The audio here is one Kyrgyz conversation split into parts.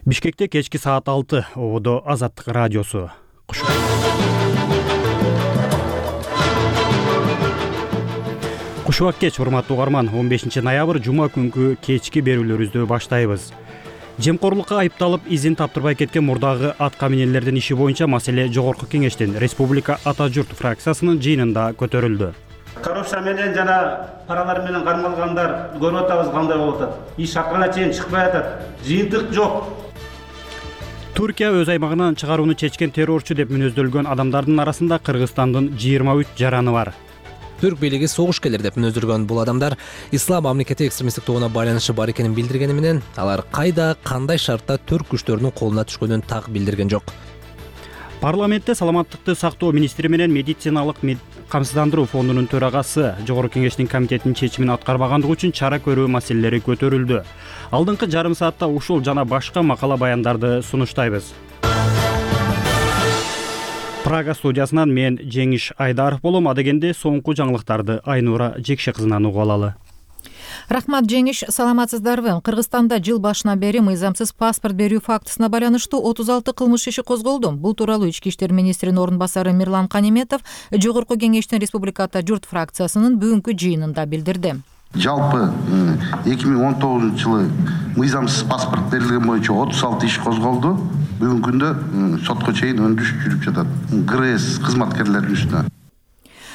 Бишкекте кечки саат 6 ободо Азаттык радиосу. Кушубак кеч, урматтуу угарман. 15 ноябрь жума күнкү кечки берүүлөрүбүздү баштайбыз. Жемкорлукка айыпталып изин таптырбай кеткен мурдагы атка минелердин иши боюнча маселе Жогорку Кеңештин Республика Ата журт фракциясынын жыйынында көтөрүлдү. Коррупция менен жана паралар менен кармалгандар көрүп атабыз кандай болуп атат. Иш акырына чейин чыкпай атат. Жыйынтык жок. Түркия өз аймагынан чыгарууну чечкен террорчу деп мүнөздөлгөн адамдардын арасында Кыргызстандын 23 жараны бар. Түрк бийлиги согушкерлер деп мүнөздөлгөн бул адамдар ислам мамлекети экстремисттик тобуна байланышы бар экенин билдиргени менен алар кайда, кандай шартта түрк күчтөрүнүн колуна түшкөнүн так билдирген жок. Парламентте саламаттыкты сактоо министри менен медициналык камсыздандыруу фондунун төрагасы Жогорку Кеңештин комитетинин чечимин аткарбагандыгы үчүн чара көрүү маселелери көтөрүлдү. Алдыңкы жарым саатта ушул жана башка макала баяндарды сунуштайбыз. Прага студиясынан мен Жеңиш Айдаров болом. Адегенде соңку жаңылыктарды Айнура Жекше кызынан угуп алалы. Рахмат, Жеңиш, саламатсыздарбы? Кыргызстанда жыл башынан бери мыйзамсыз паспорт берүү фактысына байланыштуу 36 кылмыш иши козголду. Бул тууралуу Ички иштер министринин орун басары Мирлан Каниметов Жогорку Кеңештин Республика Ата журт фракциясынын бүгүнкү жыйынында билдирди. Жалпы 2019 жылы мыйзамсыз паспорт берилген боюнча 36 иш козголду. Бүгүнкү күндө сотко чейин өндүрүш жүрүп жатат. ГРС кызматкерлеринин үстүнө.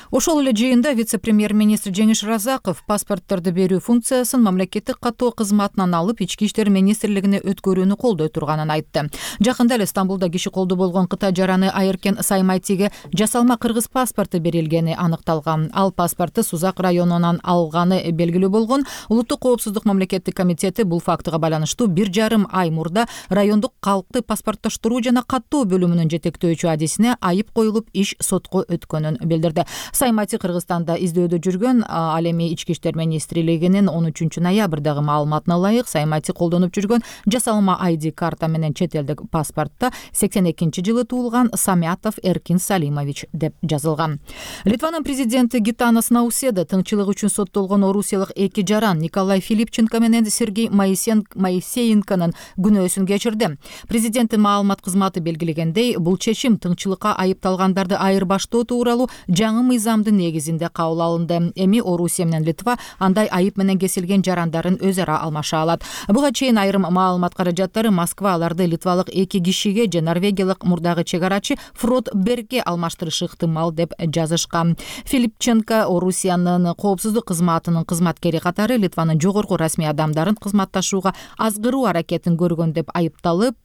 Ошол эле жыйында вице-премьер-министр Жеңиш Разаков паспортторду берүү функциясын мамлекеттик каттоо кызматынан алып Ички иштер министрлигине өткөрүүнү колдой турганын айтты. Жакында эле Стамбулда киши колдуу болгон Кытай жараны Айыркен Саймайтиге жасалма кыргыз паспорту берилгени аныкталган. Ал паспорту Сузак районунан алганы белгилүү болгон. Улуттук коопсуздук мамлекеттик комитети бул фактыга байланыштуу 1,5 ай мурда райондук калкты паспорттоштуруу жана каттоо бөлүмүнүн жетектөөчү адисине айып коюлуп иш сотко өткөнүн билдирди. Саймати Кыргызстанда издөөдө жүргөн. Ал эми Ички иштер министрлигинин 13 ноябрдагы маалыматына ылайык Саймати колдонуп жүргөн жасалма ID карта менен чет элдик паспортто 82-жылы туулган Самятов Эркин Салимович деп жазылган. Литванын президенти Гитанас Науседа тыңчылык үчүн соттолгон орусиялык эки жаран Николай Филипченко менен Сергей Моисеенконун күнөөсүн кечирди. Президенттин маалымат кызматы белгилегендей, бул чечим тыңчылыкка айыпталгандарды айырбаштоо тууралуу жаңы мыйзамдын негизинде кабыл алынды. Эми Орусия менен Литва андай айып менен кесилген жарандарын өз ара алмаша алат. Буга чейин айрым маалымат каражаттары Москва аларды литвалык эки кишиге же норвегиялык мурдагы чек арачы Фрод Бергге алмаштырышы ыктымал деп жазышкан. Филипченко Орусиянын коопсуздук кызматынын кызматкери катары Литванын жогорку расмий адамдарын кызматташууга азгыруу аракетин көргөн деп айыпталып,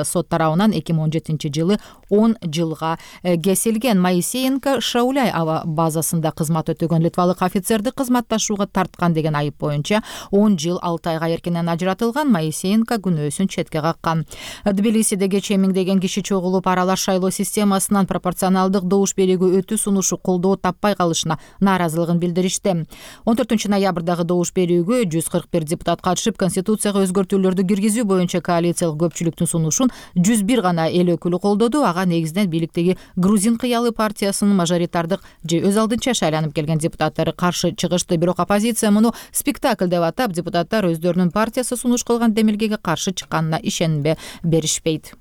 сот тарабынан 2017 жылы 10 жылга кесилген. Моисеенко Шауляй аба базасында кызмат өтөгөн литвалык офицерди кызматташууга тарткан деген айып боюнча 10 жыл 6 айга эркинен ажыратылган. Моисеенко күнөөсүн четке каккан. Тбилисиде кечээ миңдеген киши чогулуп аралаш шайлоо системасынан пропорционалдык добуш берүүгө өтүү сунушу колдоо таппай калышына нааразылыгын билдиришти. 14 ноябрдагы добуш берүүгө 141 депутат катышып, конституцияга өзгөртүүлөрдү киргизүү боюнча коалициялык көпчүлүктүн сунушун 101 гана эл өкүлү колдоду. Ага негизинен бийликтеги Грузин кыялы партиясынын мажоритардык же өз алдынча шайланып келген депутаттары каршы чыгышты. Бирок оппозиция муну спектакль деп атап, депутаттар өздөрүнүн партиясы сунуш кылган демилгеге каршы чыкканына ишенбе беришпейт.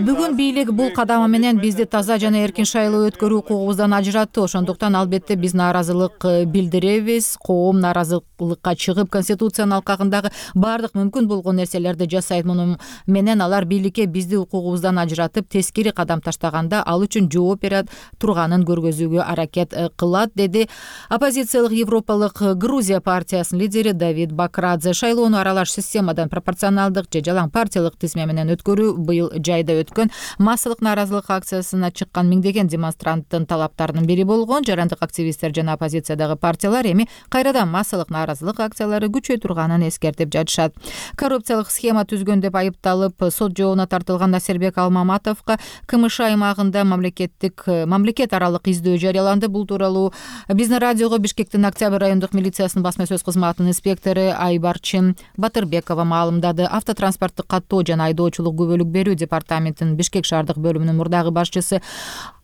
Бүгүн бийлик бул кадамы менен бизди таза жана эркин шайлоо өткөрүү укугубуздан ажыратты. Ошондуктан албетте биз нааразылык билдиребиз. Коом нааразылыкка чыгып, конституциянын алкагындагы баардык мүмкүн болгон нерселерди жасайт. Муну менен алар бийликке бизди укугубуздан ажыратып, тескери кадам таштаганда ал үчүн жооп бере турганын көргөзүүгө аракет кылат, деди оппозициялык Европалык Грузия партиясынын лидери Давид Бакрадзе. Шайлоону аралаш системадан пропорционалдык же жалаң партиялык тизме менен өткөрүү быйыл жайда өткөн массалык нааразылык акциясына чыккан миңдеген демонстранттын талаптарынын бири болгон. Жарандык активисттер жана оппозициядагы партиялар эми кайрадан массалык нааразылык акциялары күчөй турганын эскертип жатышат. Коррупциялык схема түзгөн деп айыпталып, сот жообуна тартылган Насербек Алмаматовго КМШ аймагында мамлекет аралык издөө жарыяланды. Бул тууралуу биздин радиого Бишкектин Октябрь райондук милициясынын басма сөз кызматынын инспектору Айбарчын Батырбекова маалымдады. Автотранспорттук каттоо жана айдоочулук күбөлүк берүү департаментинин Бишкек шаардык бөлүмүнүн мурдагы башчысы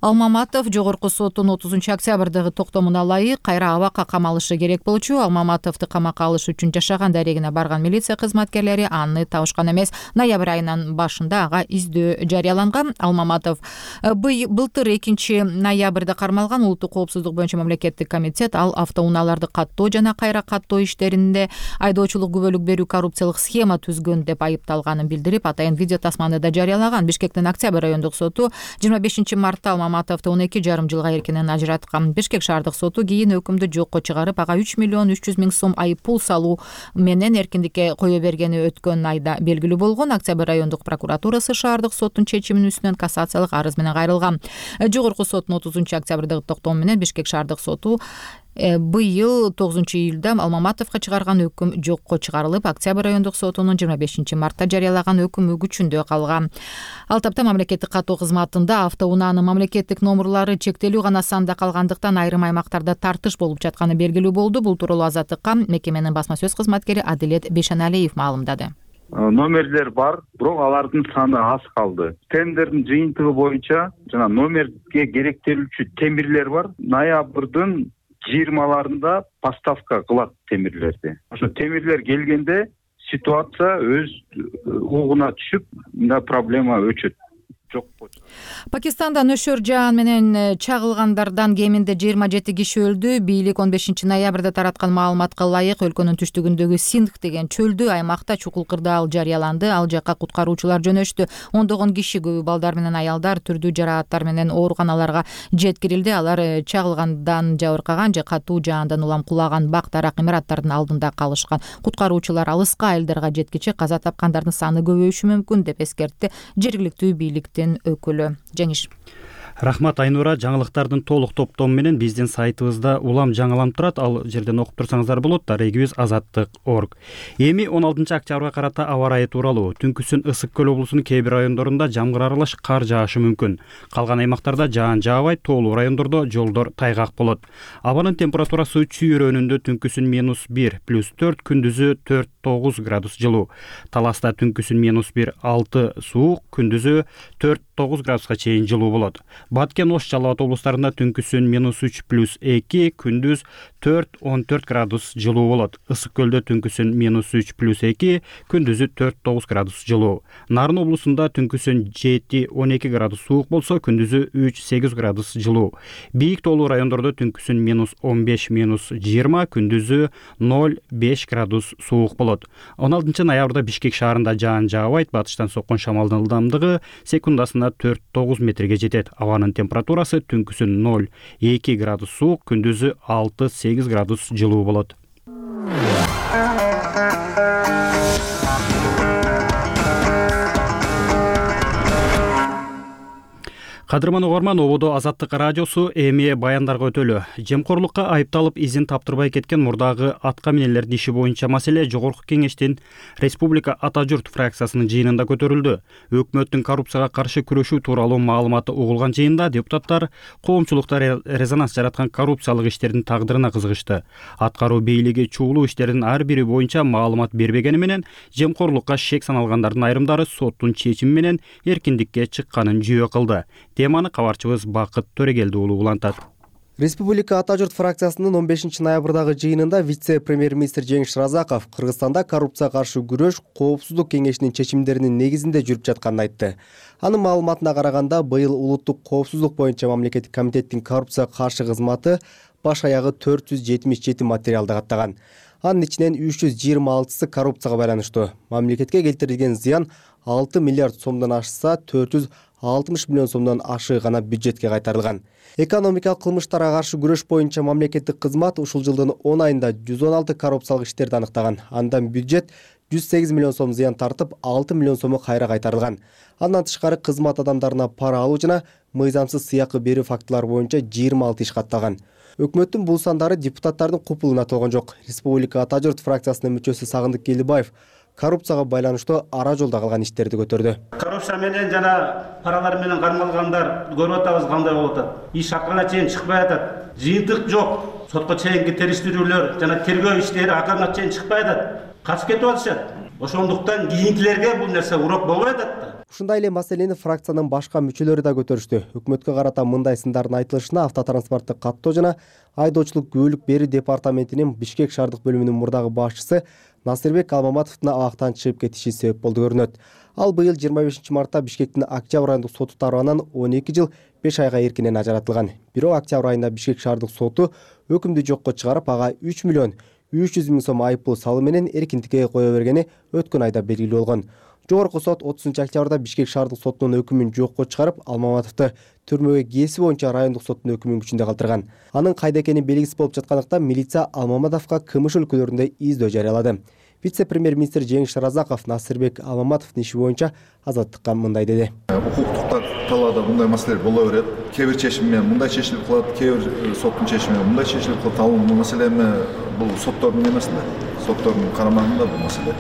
Алмаматов жогорку соттун 30-октябрдагы токтомуна ылайык кайра абакка камалышы керек болчу. Алмаматовду камакка алыш үчүн жашаган дарегине барган милиция кызматкерлери аны табышкан эмес. Ноябрь айынын башында ага издөө жарыяланган. Алмаматов былтыр 2-ноябрда кармалган. Улуттук коопсуздук боюнча мамлекеттик комитет ал автоунааларды каттоо жана кайра каттоо иштеринде айдоочулук күбөлүк берүү коррупциялык схема түзгөн деп айыпталганын билдирип, атайын видео тасманы да жарыялаган. Бишкектин Октябрь райондук соту 25 мартта Алмаматовду 12,5 жылга эркинен ажыраткан. Бишкек шаардык соту кийин өкүмдү жокко чыгарып, ага 3 миллион 300 миң сом айып пул салуу менен эркиндикке кое бергени өткөн айда белгилүү болгон. Октябрь райондук прокуратурасы шаардык соттун чечиминин үстүнөн кассациялык арыз менен кайрылган. Жогорку соттун 30-октябрдагы токтому менен Бишкек шаардык соту быйыл 9-июлда Алмаматовго чыгарган өкүм жокко чыгарылып, Октябрь райондук сотунун 25 мартта жарыялаган өкүмү күчүндө калган. Ал тапта мамлекеттик каттоо кызматында автоунаанын мамлекеттик номурлары чектелүү гана санда калгандыктан айрым аймактарда тартыш болуп жатканы белгилүү болду. Бул тууралуу Азаттыкка мекеменин басма сөз кызматкери Адилет Бейшеналиев маалымдады. Номерлер бар, бирок алардын саны аз калды. Тендердин жыйынтыгы боюнча жана номерге керектелүүчү темирлер бар. Ноябрдын 20-ларында поставка кылат темирлерди. Ошо темирлер келгенде ситуация өз угуна түшүп, мына проблема өчөт. Пакистанда нөшөр жаан менен чагылгандардан кеминде 27 киши өлдү. Бийлик 15 ноябрда тараткан маалыматка ылайык өлкөнүн түштүгүндөгү Синдх деген чөлдүү аймакта чукул кырдаал жарыяланды. Ал жакка куткаруучулар жөнөштү. Ондогон киши, көбү балдар менен аялдар, түрдүү жарааттар менен ооруканаларга жеткирилди. Алар чагылгандан жабыркаган же катуу жаандан улам кулаган бак дарак имараттардын алдында калышкан. Куткаруучулар алыска айылдарга жеткиче каза тапкандардын саны көбөйүшү мүмкүн деп эскертти жергиликтүү бийликтин өкүлү. Жеңиш. Рахмат Айнура. Жаңылыктардын толук топтому менен биздин сайтыбызда улам жаңыланып турат. Ал жерден окуп турсаңыздар болот. Дарегибиз azаттык.org. Эми 16 октябрга карата аба ырайы тууралуу. Түнкүсүн Ысык көл облусунун кээ бир райондорунда жамгыр аралаш кар жаашы мүмкүн. Калган аймактарда жаан жаабай, тоолуу райондордо жолдор тайгак болот. Абанын температурасы чүйрөнүндө түнкүсүн -1 +4, күндүзү 4-9 градус жылуу. Таласта түнкүсүн -1 6 суук, күндүзү 4-9 градуска чейин жылуу болот. Баткен, Ош, Жалал Абад облустарында түнкүсүн -3 +2, күндүз 4-14 градус жылуу болот. Ысык көлдө түнкүсүн -3 +2, күндүзү 4-9 градус жылуу. Нарын облусунда түнкүсүн 7-12 градус суук болсо, күндүзү 3-8 градус жылуу. Бийик тоолуу райондордо түнкүсүн -15 -20, күндүзү 0-5 градус суук болот. 16 ноябрда Бишкек шаарында жаан жаабайт. Батыштан соккон шамалдын ылдамдыгы секундасына 4-9 метрге жетет. Абанын температурасы түнкүсүн 0-2 градус суук, күндүзү 6-8 градус жылуу болот. Кадырман угарман, ободо Азаттык радиосу эми баяндарга өтөлү. Жемкорлукка айыпталып изин таптырбай кеткен мурдагы атка минелердин иши боюнча маселе Жогорку Кеңештин Республика Ата журт фракциясынын жыйынында көтөрүлдү. Өкмөттүн коррупцияга каршы күрөшүү тууралуу маалыматы угулган жыйында депутаттар коомчулукта резонанс жараткан коррупциялык иштердин тагдырына кызыгышты. Аткаруу бийлиги чугулуу иштердин ар бири боюнча маалымат бербегени менен жемкорлукка шек саналгандардын айрымдары соттун чечими менен эркиндикке чыкканын жүйө кылды. Теманы кабарчыбыз Бакыт Төрегелди уулу улантат. Республика Ата журт фракциясынын 15 ноябрдагы жыйынында вице-премьер-министр Жеңиш Разаков Кыргызстанда коррупцияга каршы күрөш коопсуздук кеңешинин чечимдеринин негизинде жүрүп жатканын айтты. Анын маалыматына караганда, быйыл улуттук коопсуздук боюнча мамлекеттик комитеттин коррупцияга каршы кызматы баш аягы 477 материалды каттаган. Анын ичинен 326сы коррупцияга байланыштуу. Мамлекетке келтирилген зыян 6 миллиард сомдон ашса, 460 миллион сомдон ашы гана бюджетке кайтарылган. Экономикалык кылмыштарга каршы күрөш боюнча мамлекеттик кызмат ушул жылдын 10 айында 116 коррупциялык иштерди аныктаган. Андан бюджет 108 миллион сом зыян тартып, 6 миллион сому кайра кайтарылган. Андан тышкары кызмат адамдарына пара алуу жана мыйзамсыз сыйакы берүү фактылары боюнча 26 иш катталган. Өкмөттүн бул сандары депутаттардын купулуна толгон жок. Республика Ата журт фракциясынын мүчөсү Сагындык Келибаев коррупцияга байланыштуу ара жолдо калган иштерди көтөрдү. Коррупция менен жана паралар менен кармалгандар көрүп атабыз кандай болуп атат. Иш акырына чейин чыкпай атат. Жыйынтык жок. Сотко чейинки териштирүүлөр жана тергөө иштери акырына чейин чыкпай атат. Качып кетип атышат. Ошондуктан кийинкилерге бул нерсе урок болбой атат да. Ушундай эле маселени фракциянын башка мүчөлөрү да көтөрүштү. Өкмөткө карата мындай сындардын айтылышына автотранспортту каттоо жана айдоочулук күбөлүк берүү департаментинин Бишкек шаардык бөлүмүнүн мурдагы башчысы Насырбек Алмаматовдун абактан чыгып кетиши себеп болду көрүнөт. Ал быйыл 25 мартта Бишкектин Октябрь райондук соту тарабынан 12 жыл 5 айга эркинен ажыратылган. Бирок октябрь айында Бишкек шаардык соту өкүмдү жокко чыгарып, ага 3 миллион 300 миң сом айыппул салуу менен эркиндикке кое бергени өткөн айда белгилүү болгон. Жогорку сот 30 октябрда Бишкек шаардык сотунун өкүмүн жокко чыгарып, Алмаматовду түрмөгө кээси боюнча райондук соттун өкүмүн күчүндө калтырган. Анын кайда экени белгисиз болуп жаткандыктан милиция Алмаматовго КМШ өлкөлөрүндө издөө жарыялады. Вице-премьер-министр Жеңиш Разаков Насырбек Алмаматовдун иши боюнча азаттыкка мындай деди. Укуктук талаада мындай маселелер боло берет. Кээ бир чечим менен мындай чечилип калат, кээ бир соттун чечими менен мындай чечилип калат. Ал маселе бул соттордун эмесинде, соттордун карамагында бул маселе.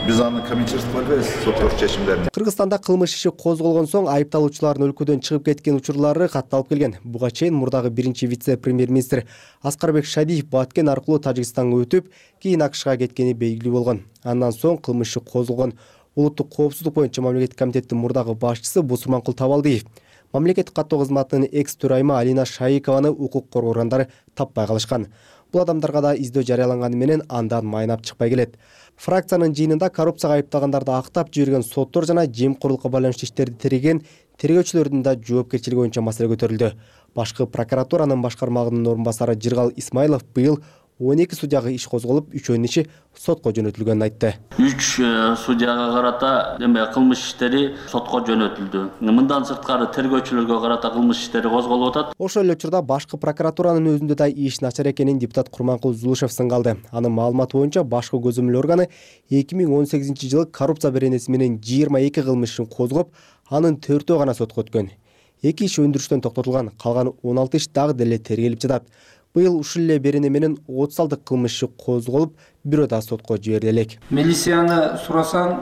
Биз аны комментировать кыла албайбыз, соттордун чечимдерин. Кыргызстанда кылмыш иши козголгон соң айыпталуучулардын өлкөдөн чыгып кеткен учурлары катталып келген. Буга чейин мурдагы биринчи вице-премьер-министр Аскарбек Шадиев Баткен аркылуу Тажикстанга өтүп, кийин АКШга кеткени белгилүү болгон. Андан соң кылмыш иши козголгон улуттук коопсуздук боюнча мамлекеттик комитеттин мурдагы башчысы Бусурманкул Табалдиев мамлекеттик каттоо кызматынын экс-төрайымы Алина Шаикованы укук коргоо органдары таппай калышкан. Бул адамдарга да издөө жарыяланганы менен андан майнап чыкпай келет. Фракциянын жыйынында коррупцияга айыпталгандарды актап жиберген соттор жана жемкорлукка байланыштуу иштерди тергеген тергөөчүлөрдүн да жоопкерчилиги боюнча маселе көтөрүлдү. Башкы прокуратуранын башкармагынын орун басары Жыргал Исмаилов быйыл 12 судьяга иш козголуп, 3-өнүн иши сотко жөнөтүлгөнүн айтты. 3 судьяга карата кылмыш иштери сотко жөнөтүлдү. Мындан сырткары тергөөчүлөргө карата кылмыш иштери козголуп атат. Ошол эле учурда башкы прокуратуранын өзүндө да иш начар экенин депутат Курманкул Зулушев сынгалды. Анын маалыматы боюнча башкы көзөмөл органы 2018-жылы коррупция беренеси менен 22 кылмыш ишин козгоп, анын 4-өө гана сотко өткөн. 2 иш өндүрүштөн токтотулган, калган 16 иш дагы деле тергелип жатат. Быйыл ушул эле берене менен 36 кылмыш иши козголуп, бирөө да сотко жибериле элек. Милицияны сурасаң,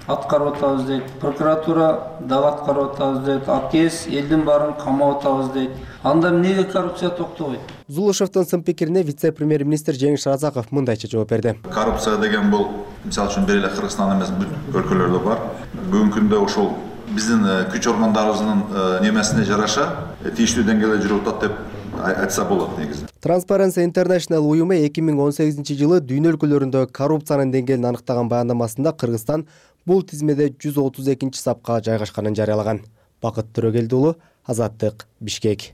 аткарып атабыз дейт. Прокуратура дагы аткарып атабыз дейт. АКС элдин баарын камап атабыз дейт. Анда эмнеге коррупция токтобойт? Зулушевдун сын пикирине вице-премьер-министр Жеңиш Разаков мындайча жооп берди. Коррупция деген бул, мисалы үчүн бир эле Кыргызстан эмес, бүт өлкөлөрдө бар. Бүгүнкү күндө ушул биздин күч органдарыбыздын немесине жараша тийиштүү деңгээлде жүрүп атат деп айтса болот негизи. Transparency International уюму 2018-жылы дүйнө өлкөлөрүндө коррупциянын деңгээлин аныктаган баяндамасында Кыргызстан бул тизмеде 132 сапка жайгашканын жарыялаган. Бакыт Төрөгелди уулу, Азаттык, Бишкек.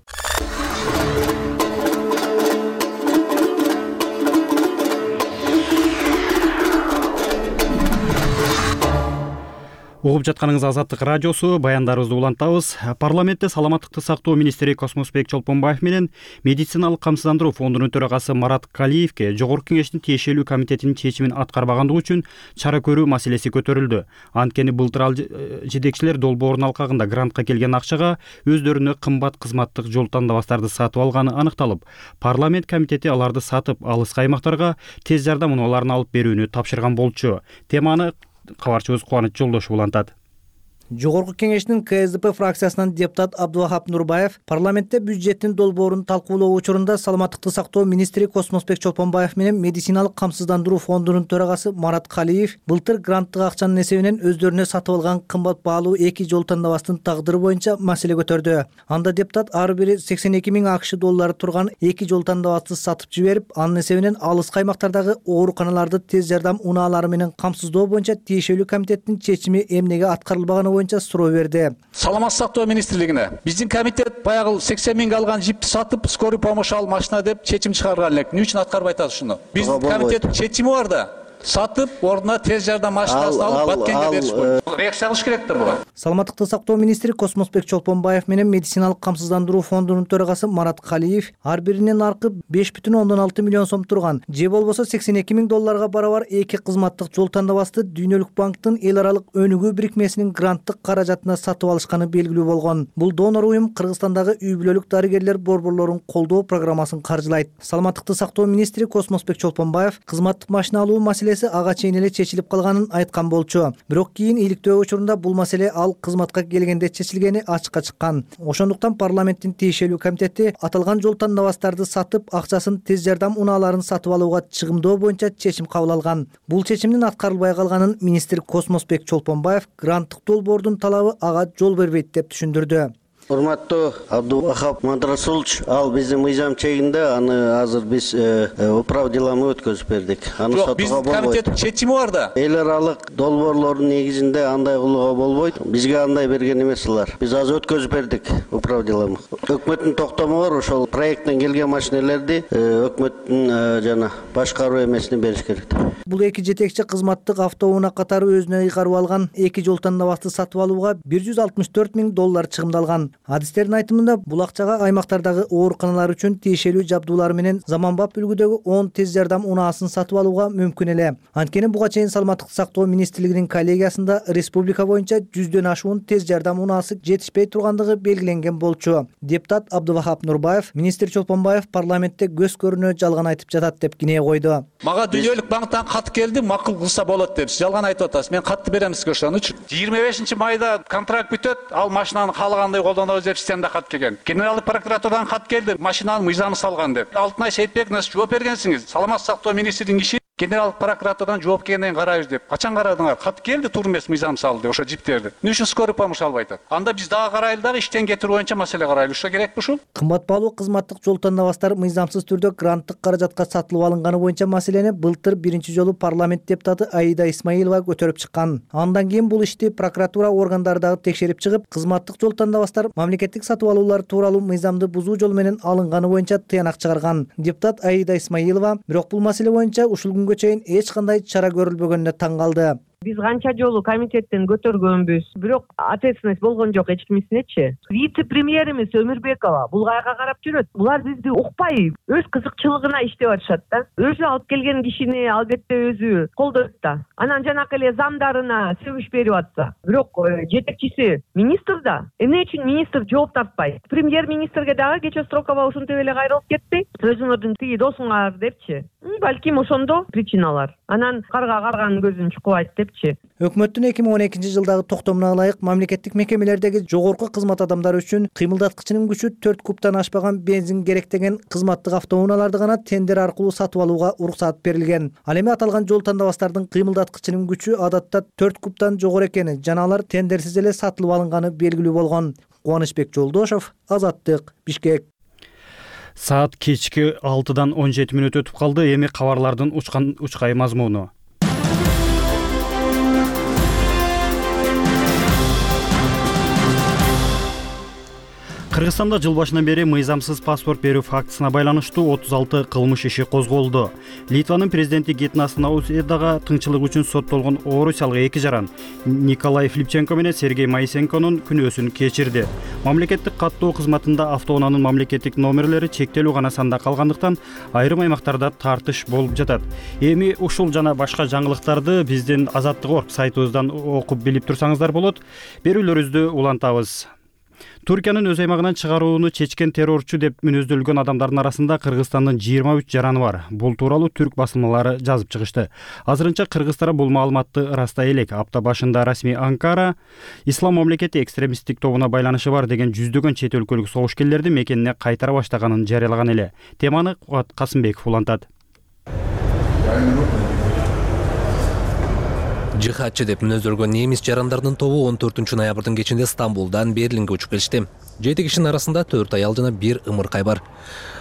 Угуп жатканыңыз Азаттык радиосу, баяндарыбызды улантабыз. Парламентте саламаттыкты сактоо министри Космосбек Чолпонбаев менен медициналык камсыздандыруу фондунун төрагасы Марат Калиевке Жогорку Кеңештин тиешелүү комитетинин чечимин аткарбагандыгы үчүн чара көрүү маселеси көтөрүлдү. Анткени былтыр ал жетекчилер долбоордун алкагында грантка келген акчага өздөрүнө кымбат кызматтык жол тандабастарды сатып алганы аныкталып, парламент комитети аларды сатып, алыскы аймактарга тез жардам унааларын алып берүүнү тапшырган болчу. Теманы кабарчыбыз Кубаныч Жолдошов улантат. Жогорку Кеңештин КСДП фракциясынан депутат Абдувахап Нурбаев парламентте бюджеттин долбоорун талкуулоо учурунда саламаттыкты сактоо министри Космосбек Чолпонбаев менен медициналык камсыздандыруу фондунун төрагасы Марат Калиев былтыр гранттык акчанын эсебинен өздөрүнө сатып алган кымбат баалуу 2 жол тандабастын тагдыры боюнча маселе көтөрдү. Анда депутат ар бири 82 миң АКШ доллары турган 2 жол тандабасты сатып жиберип, анын эсебинен алыскы аймактардагы ооруканаларды тез жардам унаалары менен камсыздоо боюнча тиешелүү комитеттин чечими эмнеге аткарылбаганы боюнча суроо берди. Саламаттык сактоо министрлигине биздин комитет баягы 80 миң алган жипти сатып, скорый помощь ал машина деп чечим чыгарган элек. Эмне үчүн аткарбай атат ушуну? Биздин комитеттин чечими бар да. Сатып, ордуна тез жардам машинасын алып Баткенге бериш керек. Реакция кылыш керектир буга. Саламаттыкты сактоо министри Космосбек Чолпонбаев менен медициналык камсыздандыруу фондунун төрагасы Марат Калиев ар биринин аркы 5,6 миллион сом турган, же болбосо 82 миң долларга барабар 2 кызматтык жол тандабасты Дүйнөлүк банктын эл аралык өнүгүү бирикмесинин гранттык каражатына сатып алышканы белгилүү болгон. Бул донор уюм Кыргызстандагы үй бүлөлүк дарыгерлер борборлорун колдоо программасын каржылайт. Саламаттыкты сактоо министри Космосбек Чолпонбаев кызматтык машина алуу маселеси ага чейин эле чечилип калганын айткан болчу. Бирок кийин өтүү учурунда бул маселе ал кызматка келгенде чечилгени ачыкка чыккан. Ошондуктан парламенттин тиешелүү комитети аталган жол тандабастарды сатып, акчасын тез жардам унааларын сатып алууга чыгымдоо боюнча чечим кабыл алган. Бул чечимдин аткарылбай калганын министр Космосбек Чолпонбаев гранттык долбоордун талабы ага жол бербейт деп түшүндүрдү. Урматтуу Абдувахап Мадрасулович, ал биздин мыйзам чегинде, аны азыр биз управ делами өткөзүп бердик. Аны сотууга болбойт. Комитеттин чечими бар да. Эл аралык долбоорлордун негизинде андай кылууга болбойт. Бизге андай берген эмес алар. Биз азыр өткөзүп бердик управ делами. Өкмөттүн токтому бар, ошол проекттен келген машинелерди өкмөттүн жана башкаруу эмесине бериш керек. Бул эки жетекчи кызматтык автоунаа катары өзүнө ыйгарып алган эки жол тандабасты сатып алууга $164 000 чыгымдалган. Адистердин айтымында бул акчага аймактардагы ооруканалар үчүн тиешелүү жабдуулар менен заманбап үлгүдөгү 10 тез жардам унаасын сатып алууга мүмкүн эле. Анткени буга чейин Саламаттыкты сактоо министрлигинин коллегиясында республика боюнча 100дөн ашуун тез жардам унаасы жетишпей тургандыгы белгиленген болчу. Депутат Абдувахап Нурбаев министр Чолпонбаев парламентте көз көрүнө жалган айтып жатат деп кинее койду. Мага Дүйнөлүк банктан кат келди, макул кылса болот деп. Жалган айтып атасыз. Мен катты берем сизге ошонучу. 25-майда контракт бүтөт, ал машинаны каалагандай колдонобуз деп системада кат келген. Генералдык прокуратурадан кат келди, машинанын мыйзамы салган деп. Алтынай Сейитбековна жооп бергенсиңиз. Саламаттык сактоо министринин иши генералдык прокуратурадан жооп келгенден карайбыз деп. Качан карадыңар? Кат келди, туура эмес мыйзам салды ошо жиптерди. Эмне үчүн скорый помощь албай атат? Анда биз дагы карайлы дагы иштен кетирүү боюнча маселе карайлы. Ошо керекпи ушул? Кымбат баалуу кызматтык жол тандабастар мыйзамсыз түрдө гранттык каражатка сатылып алынганы боюнча маселени былтыр биринчи жолу парламент депутаты Аида Исмаилова көтөрүп чыккан. Андан кийин бул ишти прокуратура органдары дагы текшерип чыгып, кызматтык жол тандабастар мамлекеттик сатып алуулар тууралуу мыйзамды бузуу жолу менен алынганы боюнча тыянак чыгарган. Депутат Аида Исмаилова бирок бул маселе боюнча ушул күнгө чейин эч кандай чара көрүлбөгөнүнө таң калды. Биз канча жолу комитеттен көтөргөнбүз, бирок ответственность болгон жок эч кимисинечи. Вице-премьерimiz Өмүрбекова бул кайга карап жүрөт. Булар бизди укпай, өз кызыкчылыгына иштеп атышат да. Өзү алып келген кишини албетте өзү колдойт да. Анан жанакы эле замдарына сөгүш берип атса, бирок жетекчиси министр да. Эмне үчүн министр жооп тартпайт? Премьер-министрге дагы кече Строкова ушинтип эле кайрылып кетти. Өзүңөрдүн тиги досуңар депчи. Балким ошондо причиналар. Анан карга карганын көзүн чукубайт депчи. Өкмөттүн 2012-жылдагы токтомуна ылайык мамлекеттик мекемелердеги жогорку кызмат адамдары үчүн кыймылдаткычынын күчү 4 кубтан ашпаган бензин керек деген кызматтык автоунааларды гана тендер аркылуу сатып алууга уруксат берилген. Ал эми аталган жол тандабастардын кыймылдаткычынын күчү адатта 4 кубтан жогору экени жана алар тендерсиз эле сатылып алынганы белгилүү болгон. Кубанычбек Жолдошов, Азаттык, Бишкек. Саат кечки 6-дан 17 мүнөт өтүп калды. Эми кабарлардын учкай мазмуну. Кыргызстанда жыл башынан бери мыйзамсыз паспорт берүү фактысына байланыштуу 36 кылмыш иши козголду. Литванын президенти Гетнас Наусьедага тыңчылык үчүн соттолгон орусиялык эки жаран Николай Флипченко менен Сергей Моисенконун күнөөсүн кечирди. Мамлекеттик каттоо кызматында автоунаанын мамлекеттик номерлери чектелүү гана санда калгандыктан айрым аймактарда тартыш болуп жатат. Эми ушул жана башка жаңылыктарды биздин Азаттык.орг сайтыбыздан окуп билип турсаңыздар болот. Берүүлөрүбүздү улантабыз. Туркиянын өз аймагынан чыгарууну чечкен террорчу деп мүнөздөлгөн адамдардын арасында Кыргызстандын 23 жараны бар. Бул тууралуу түрк басылмалары жазып чыгышты. Азырынча кыргыздар бул маалыматты ырастай элек. Апта башында расмий Анкара Ислам мамлекети экстремисттик тобуна байланышы бар деген жүздөгөн чет өлкөлүк согушкерлерди мекенине кайтара баштаганын жарыялаган эле. Теманы Кубат Касымбеков улантат. Жихадчы деп мүнөздөлгөн немис жарандардын тобу 14-ноябрдын кечинде Стамбулдан Берлинге учуп келишти. 7 кишинин арасында 4 аял жана 1 ымыркай бар.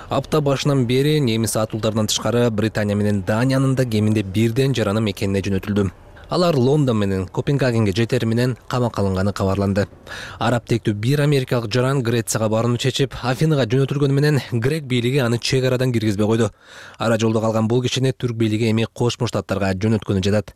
Апта башынан бери немис атуулдарынан тышкары Британия менен Даниянын да кеминде бирден жараны мекенине жөнөтүлдү. Алар Лондон менен Копенгагенге жетери менен камакка алынганы кабарланды. Араб тектүү бир америкалык жаран Грецияга барууну чечип, Афинага жөнөтүлгөнү менен грек бийлиги аны чек арадан киргизбей койду. Ара жолдо калган бул кишини түрк бийлиги эми Кошмо Штаттарга жөнөткөнү жатат.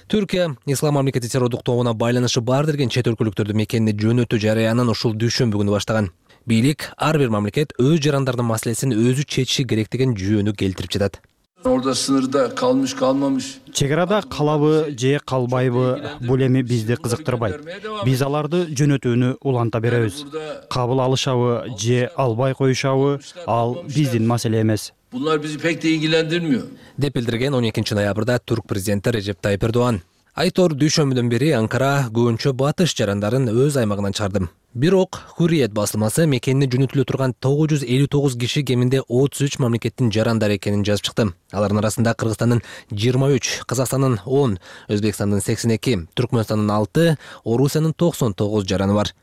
Түркия Ислам мамлекети террордук тобуна байланышы бар деген чет өлкөлүктөрдү мекенине жөнөтүү жарыянын ушул дүйшөмбү күнү баштаган. Бийлик ар бир мамлекет өз жарандардын маселесин өзү чечиши керек деген жүйөнү келтирип жатат. Orada sınırda kalmış kalmamış. Чек арада калабы же калбайбы, бул эми бизди кызыктырбайт. Биз аларды жөнөтүүнү уланта беребиз. Кабыл алышабы же албай коюшабы, ал биздин маселе эмес. Bunlar bizi pek de ilgilendirmiyor. Деп билдирген 12 ноябрда Түрк президенти Режеп Тайип Эрдоган. Айтор дүйшөмбүдөн бери Анкара көбүнчө батыш жарандарын өз аймагынан чыгарды. Бирок Hurriyet басылмасы мекенине жөнөтүлө турган 959 киши кеминде 33 мамлекеттин жарандары экенин жазып чыкты. Алардын арасында Кыргызстандын 23, Казакстандын 10, Өзбекстандын 82, Түркмөнстандын 6, Орусиянын 99 жараны бар.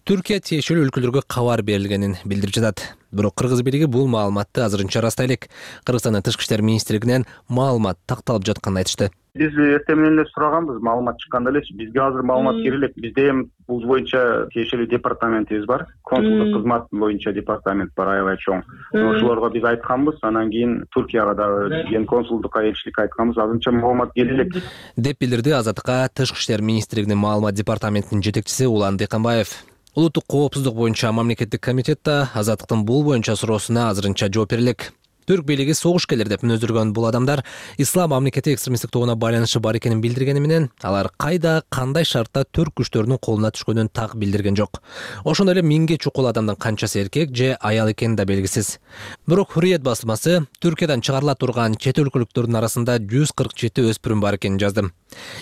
Түркия тиешелүү өлкөлөргө кабар берилгенин билдирип жатат. Бирок Кыргыз бийлиги бул маалыматты азырынча ырастай элек. Кыргызстандын Тышкы иштер министрлигинен маалымат такталып жатканын айтышты. Биз эртең менен эле сураганбыз, маалымат чыкканда эле бизге азыр маалымат келет. Бизде эми бул боюнча тиешелүү департаментибиз бар. Консулдук кызмат боюнча департамент бар, аябай чоң. Ошолорго биз айтканбыз, анан кийин Туркияга дагы ген консулдукка элчиликке айтканбыз, азырынча маалымат келе элек. Деп билдирди Азаттыкка Тышкы иштер министрлигинин маалымат департаментинин жетекчиси Улан Дыйканбаев. Улуттук коопсуздук боюнча мамлекеттик комитетте Азаттыктын бул боюнча суроосуна азырынча жооп берилек. Түрк бийлиги согушкерлер деп мүнөздөргөн бул адамдар ислам мамлекети экстремисттик тобуна байланышы бар экенин билдиргени менен алар кайда, кандай шартта түрк күчтөрүнүн колуна түшкөнүн так билдирген жок. Ошондой эле 1000ге чукул адамдын канчасы эркек же аял экени да белгисиз. Бирок Hurriyet басылмасы Түркиядан чыгарыла турган чет өлкөлүктөрдүн арасында 147 өспүрүм бар экенин жазды.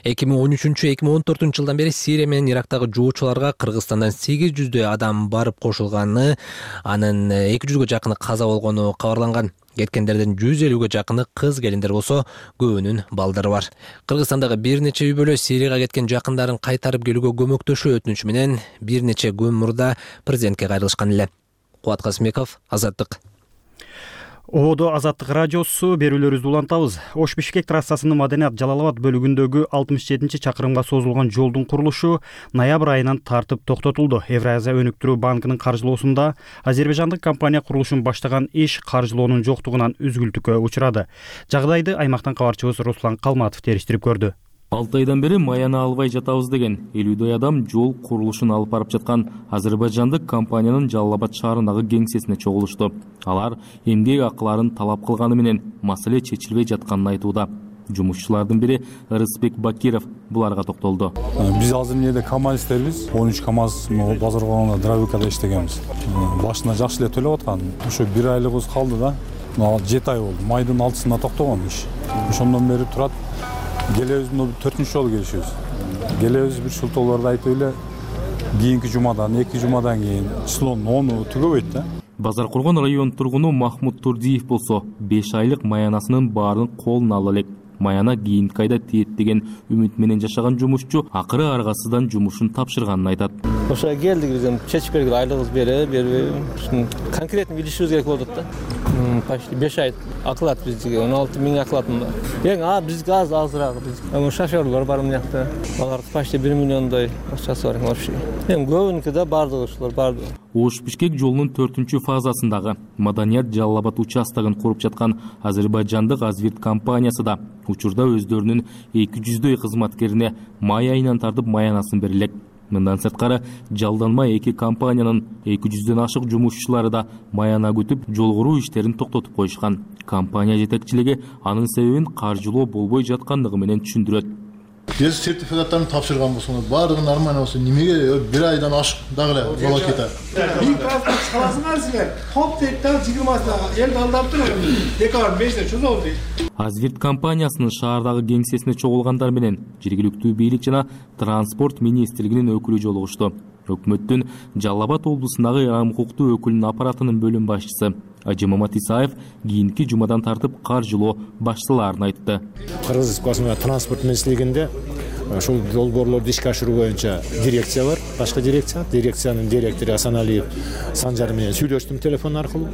2013-2014 жылдан бери Сирия менен Ирактагы жоочуларга Кыргызстандан 800 адам барып кошулганы, анын 200ге жакыны каза болгону кабарланган. Кеткендердин 150ге жакыны кыз келиндер болсо, көбүнүн балдары бар. Кыргызстандагы бир нече үй бүлө Сирияга кеткен жакындарын кайтарып келүүгө көмөктөшүү өтүнүчү менен бир нече күн мурда президентке кайрылышкан эле. Кубат Касымбеков, Азаттык. Одо Азаттык радиосу берүүлөрүбүздү улантабыз. Ош-Бишкек трассасынын Маданият-Жалал Абад бөлүгүндөгү 67-чакырымга созулган жолдун курулушу ноябрь айынан тартып токтотулду. Евразия өнүктүрүү банкынын каржылоосунда азербайжандык компания курулушун баштаган иш каржылоонун жоктугунан үзгүлтүккө учурады. Жагдайды аймактан кабарчыбыз Руслан Калматов териштирип көрдү. 6 айдан бери маяна албай жатабыз деген 50 адам жол курулушун алып барып жаткан азербайжандык компаниянын Жалал Абад шаарындагы кеңсесине чогулушту. Алар эмгек акыларын талап кылганы менен маселе чечилбей жатканын айтууда. Жумушчулардын бири Рыспек Бакиров буларга токтолду. Биз азыр эмнеде КамАЗтербиз, 13 КамАЗ базар коомунда дробилкада иштегенбиз. Башына жакшы эле төлөп аткан. Ошо 1 айлыгыбыз калды да. 7 ай болду. Майдын 6-сында токтогон иш. Ошондон бери турат. Келебиз 4-чү жолу келишибиз. Келебиз бир шултоолорду айтып эле кийинки жумадан, 2 жумадан кийин числонун 10-у түгөбөйт да. Базар Кургон район тургуну Махмуд Турдиев болсо 5 айлык маянасынын баарын колуна ала элек. Маяна кийинки айда тиет деген үмүт менен жашаган жумушчу акыры аргасыздан жумушун тапшырганын айтат. Ошо келдик биз чечип бердик, айлыгыбыз бербейби? Конкретно билишибиз керек болот да. Почти 5 ай акылат бизге, 16 миң акылатым бар. Эң бизге азыраак биз. Шофёрлор бар мына жакта. Алар почти 1 миллиондой акчасы бар вообще. Эң көбүнүкү да бардыгы ушулар барды. Ош-Бишкек жолунун 4-чү фазасындагы Маданият-Жалал Абад участогун куруп жаткан азербайжандык Азвирт компаниясы да учурда өздөрүнүн 200дөй кызматкерине май айынан тартып маянасын берилек. Мындан сырткары жалданма 2 компаниянын 200дөн ашык жумушчулары да маяна күтүп жол куруу иштерин токтотуп коюшкан. Компания жетекчилиги анын себебин каржылоо болбой жаткандыгы менен түшүндүрөт. Биз сертификаттарын тапшырган болсоңуз, баардыгы нормально болсо, немеге 1 айдан ашык дагы эле жоло кетет? Бир транспорт чыгаласыңар силер. Топ тектен 20-сына эл алдап туруп, декабрь 5-те чозолду дейт. Азвирт компаниясынын шаардагы кеңсесине чогулгандар менен жергиликтүү бийлик жана транспорт министрлигинин өкүлү жолугушту. Өкмөттүн Жалал Абад облусундагы Иран укуктуу өкүлүнүн аппаратынын бөлүм башчысы Ажимамат Исаев кийинки жумадан тартып каржылоо башталарын айтты. Кыргыз транспорт министрлигинде ушул долбоорлорду ишке ашыруу боюнча дирекция бар, башка дирекциянын директору Асаналиев Санжар менен сүйлөштүм телефон аркылуу.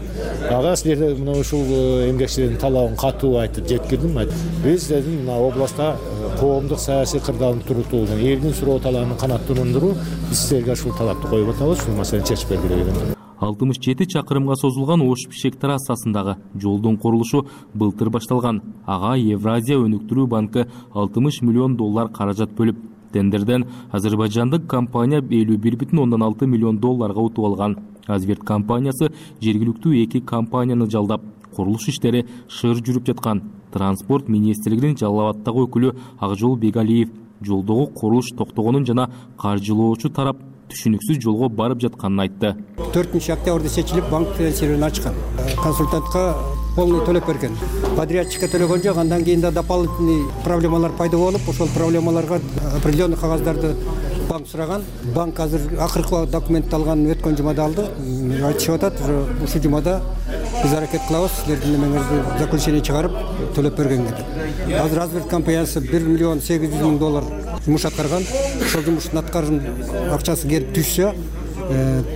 Ага силерде мына ушул эмгекчилердин талабын катуу айтып жеткирдим. Биз дедим мына областта коомдук саясий кырдаалды турутуу, элдин суроо талабын канааттандыруу, биз силерге ушул талапты коюп атабыз, ушул маселени чечип бергиле деген. 67 чакырымга созулган Ош-Бишкек трассасындагы жолдун курулушу былтыр башталган. Ага Евразия өнүктүрүү банкы 60 миллион доллар каражат бөлүп, тендерден азербайжандык компания 51,6 миллион долларга утуп алган. Азвирт компаниясы жергиликтүү 2 компанияны жалдап, курулуш иштери шыр жүрүп жаткан. Транспорт министрлигинин Жалал Абадтагы өкүлү Акжол Бегалиев жолдогу курулуш токтогонун жана каржылоочу тарап түшүнүксүз жолго барып жатканын айтты. 4 октябрда чечилип банк серверин ачкан. Консультантка полный төлөп берген. Подрядчикке төлөгөн жок, андан кийин да дополнительный проблемалар пайда болуп, ошол проблемаларга определенный кагаздарды банк сураган. Банк азыр акыркы документти алган өткөн жумада алды. Айтышып атат, ушул жумада биз аракет кылабыз, силердин немеңерди заключение чыгарып төлөп бергенге деп. Азыр Азберт компаниясы $1,800,000 жумуш аткарган. Ошол жумуштун аткарган акчасы келип түшсө,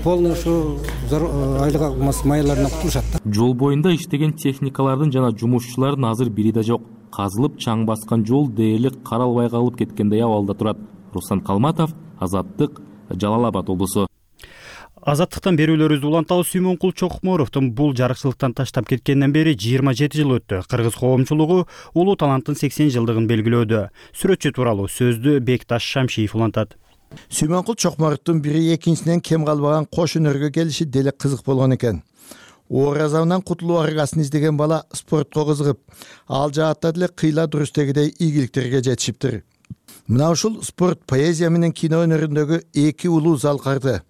полный ушу айлык маяларынан кутулушат. Жол боюнда иштеген техникалардын жана жумушчулардын азыр бири да жок. Казылып чаң баскан жол дээрлик каралбай калып кеткендей абалда турат. Руслан Калматов, Азаттык, Жалал Абад облусу. Азаттыктан берүүлөрүбүздү улантабыз. Сүймөнкул Чокморовдун бул жарыкчылыктан таштап кеткенден бери 27 жыл өттү. Кыргыз коомчулугу улуу таланттын 80 жылдыгын белгилөөдө. Сүрөтчү тууралуу сөздү Бекташ Шамшиев улантат. Сүймөнкул Чокморовдун бири экинчисинен кем калбаган кош өнөргө келиши деле кызык болгон экен. Оор азабынан кутулуу аргасын издеген бала спортко кызыгып, ал жаатта деле кыйла дурустегидей ийгиликтерге жетишиптир. Мына ушул спорт, поэзия менен кино өнөрүндөгү эки улуу залкарды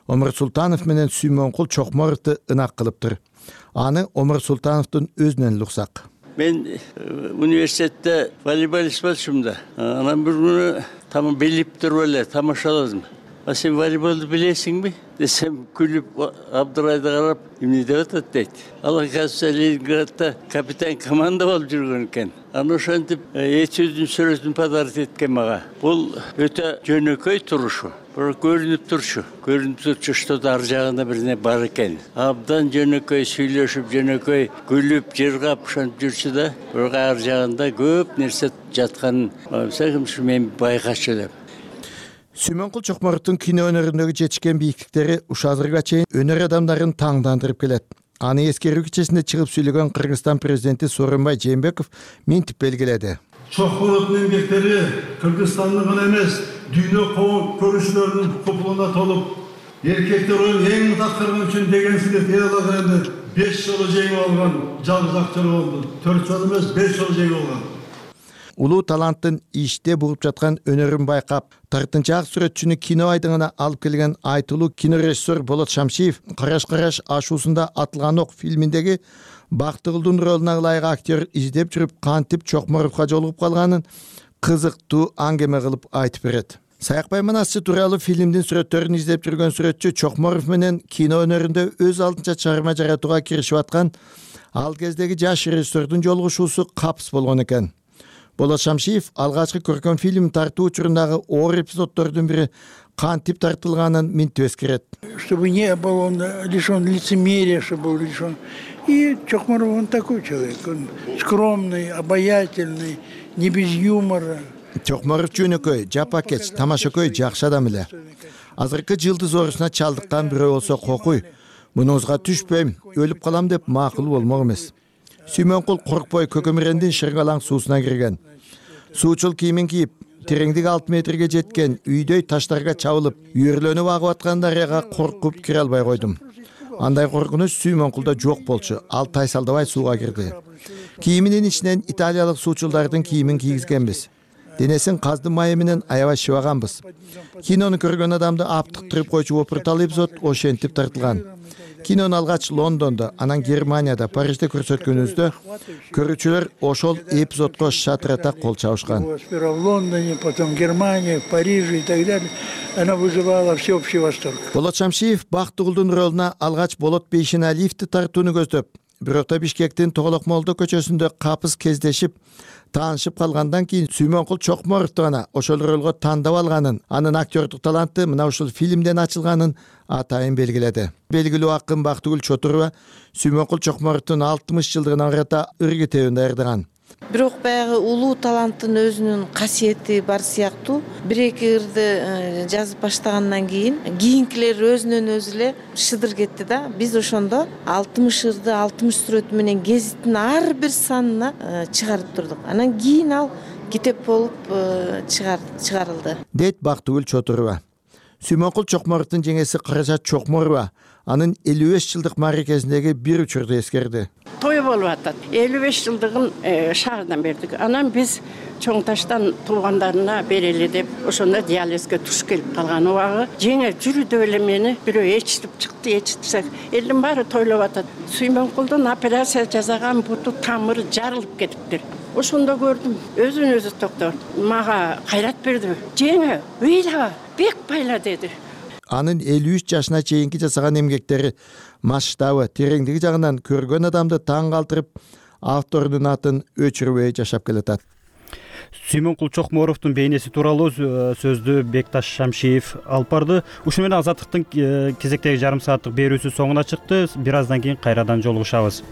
Омар Султанов менен Сүймөнкул Чокморовду ынак кылыптыр. Аны Омар Султановдун өзүнөн эле уксак. Мен университетте волейболист болчумун да. Анан бир күнү тамам билип туруп эле тамашаладым. А сен волейболду билесиңби? Десем, күлүп Абдурайды карап, эмне деп атат дейт. Ал казыр Ленинградда капитан команда болуп жүргөн экен. Аны ошентип этюдүн сүрөтүн подарок эткен мага. Бул өтө жөнөкөй турушу. Бирок көрүнүп турчу. Көрүнүп турчу, что-то ар жагында бирне бар экен. Абдан жөнөкөй сүйлөшүп, жөнөкөй күлүп, жыргап ошентип жүрчү да, бирок ар жагында көп нерсе жатканын мен байкачу деп. Сүймөнкул Чокморовдун кино өнөрүндөгү жетишкен бийиктиктери ушазырга чейин өнөр адамдарын таңдандырып келет. Аны эскерүү кечесинде чыгып сүйлөгөн Кыргызстан президенти Сооронбай Жээнбеков минтип белгиледи. Чокморовдун эмгектери Кыргызстандын гана эмес, дүйнө көрүүчүлөрүнүн купулуна толуп, эркектер оюн эң мутакырган үчүн деген силет эл алганда 5 жолу жеңип алган жалгыз актер болду. 4 жолу эмес, 5 жолу жеңип алган. Улуу таланттын иште бугуп жаткан өнөрүн байкап, тартынчаак сүрөтчүнү кино айдыңына алып келген айтылуу кинорежиссер Болот Шамшиев «Караш-караш ашуусунда атылган ок» фильминдеги Бактыгүлдүн ролуна ылайык актер издеп жүрүп кантип Чокморовго жолугуп калганын кызыктуу аңгеме кылып айтып берет. Саякбай Манасчы тууралуу фильмдин сүрөттөрүн издеп жүргөн сүрөтчү Чокморов менен кино өнөрүндө өз алдынча чыгарма жаратууга киришип аткан ал кездеги жаш режиссердун жолугушуусу капыс болгон экен. Болот Шамшиев алгачкы көркөм фильм тартуу учурундагы оор эпизоддордун бири кантип тартылганын минтип эскерет. Чтобы не был он лишен лицемерия, чтобы был лишен. И Чокморов он такой человек, он скромный, обаятельный, не без юмора. Чокморов жөнөкөй, жапакеч, тамашакөй жакшы адам эле. Азыркы жылдыз оорусуна чалдыккан бирөө болсо кокуй. Мунузга түшпөйм, өлүп калам деп макул болмок эмес. Сүймөнкул коркпой көкөмүрендин шыргалаң суусуна кирген. Суучул кийимин кийип, тереңдиги 6 метрге жеткен үйдөй таштарга чабылып, үйөрлөнүп агып аткан дарыяга коркуп кире албай койдум. Андай коркунуч Сүймөнкулда жок болчу. Ал тайсалдабай сууга кирди. Кийиминин ичинен италиялык суучулдардын кийимин кийгизгенбиз. Денесин каздын майы менен аябай шыбаганбыз. Кинону көргөн адамды аптыктырып койчу опуртал эпизод ошентип тартылган. Кинону алгач Лондондо, анан Германияда, Парижде көрсөткөнүбүздө көрүүчүлөр ошол эпизодко шатырата кол чабышкан. Сперва в Лондоне, потом Германия, в Париже и так далее. Она вызывала всеобщий восторг. Болот Шамшиев Бактыгүлдүн ролуна алгач Болот Бейшеналиевди тартууну көздөп, бирок да Бишкектин Тоголок Молдо көчөсүндө капыс кездешип, таанышып калгандан кийин Сүймөнкул Чокморовду гана ошол ролго тандап алганын, анын актёрдук таланты мына ушул фильмден ачылганын атайын белгиледи. Белгилүү акын Бактыгүл Чотурова Сүймөнкул Чокморовдун 60 жылдыгына карата ыр китебин даярдаган. Бирок баягы улуу таланттын өзүнүн касиети бар сыяктуу. Бир-эки ырды жазып баштагандан кийинкилер өзүнөн өзү эле шыдыр кетти да. Биз ошондо 60 ырды 60 сүрөт менен гезиттин ар бир санына чыгарып турдук. Анан кийин ал китеп болуп чыгарылды. Дейт Бактыгүл Чотурова. Сүймөнкул Чокморовдун жеңеси Каражат Чокморова анын 55 жылдык мааракесиндеги бир учурду эскерди. Той болуп атат. 55 жылдыгын шаардан бердик. Анан биз Чоң Таштан туугандарына берели деп ошондо диализге туш келип калган убагы жеңе жүрү деп эле мени бирөө ээрчитип чыкты. Ээрчитсек элдин баары тойлоп атат. Сүймөнкулдун операция жасаган буту тамыры жарылып кетиптир. Ошондо көрдүм, өзүн өзү токтор. Мага кайрат берди. Жеңе, ыйла, бек байла деди. Анын 53 жашына чейинки жасаган эмгектери масштабы, тереңдиги жагынан көргөн адамды таң калтырып, авторунун атын өчүрбөй жашап келатат. Сүймөнкул Чокморовдун бейнеси тууралуу сөздү Бекташ Шамшиев алып барды. Ушуну менен Азаттыктын кезектеги жарым сааттык берүүсү соңуна чыкты. Бир аздан кийин кайрадан жолугушабыз.